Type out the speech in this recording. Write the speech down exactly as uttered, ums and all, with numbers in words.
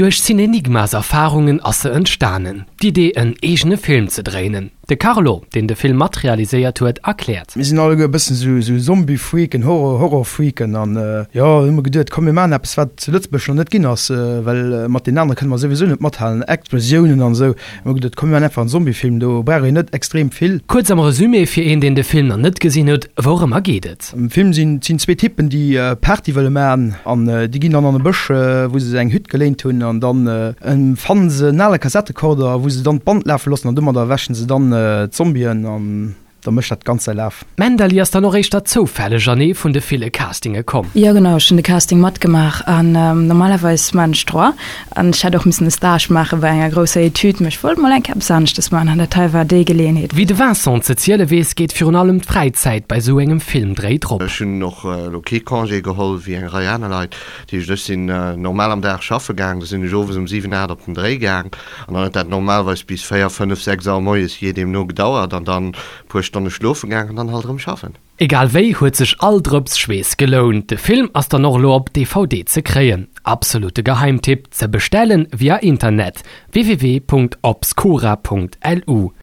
Duerch Cinenigmas Erfarungen ass se entstanen, d'Idee en eegene Film ze dréinen. De Carlo, deen de Film mat realiséiert huet, erkläert. Mir sinn alleguer e bëssen esou esou Zombie-Freaken, Horror, Horror-Freaken an jo, hu mer geduet, komm mir maachen eppes wat zu Lëtzebuerg nach net ginn ass, well mat deenen anere kënne mer souwisou net mathalen, Explosiounen an esou. Hu mer geduet, komm mir maachen einfach en Zombie-Film, do brauch een net extrem vill. Kuerz am Resumé fir een deen de Film nach net gesinn huet, wourëmmer geet et? Am Film sinn sinn zwee Typen déi Party wëlle maachen an déi ginn dann an e Bësch wou se eng Hütt geléint hunn an dann fannen se en ale Kassetterekorder wou se dann d'Band lafe loossen an domadder erwächen se dann d'Zombien an da mécht dat Ganzt säi Laf. D'Mendaly ass dann och éischter zoufälleg an ee vun de ville Castinge komm. Jo genau, ech hunn de Casting matgemaach an normalerweis maan ech Droit an ech hätt och missen e Stage maache bei enger grousser Etüd, mee ech wollt mol eng Kéier eppes aneschtes maachen an dat hei war déi Geleeënheet. Wéi de Vincent ze ziele weess, geet virun allem d'Fräizäit bei sou engem Filmdréi drop. Ech hunn och elo kee Congé geholl wéi eng Rei aner Leit. Dat heescht, ech sinn normal am Dag schaffe gaang, da sinn ech owes um siwen, aacht op den Dréi gaang an dann huet dat normalerweis bis véier, fënnef, sechs Auer moies, jee deemno, gedauert an dann e puer Stonne schlofe gaang an dann halt erëm schaffen. Egal wéi huet sech all Drëps Schweess gelount. De Film ass dann och elo op D V D ze kréien. Absolute Geheimtipp, ze bestellen via Internet, www.obscura.lu.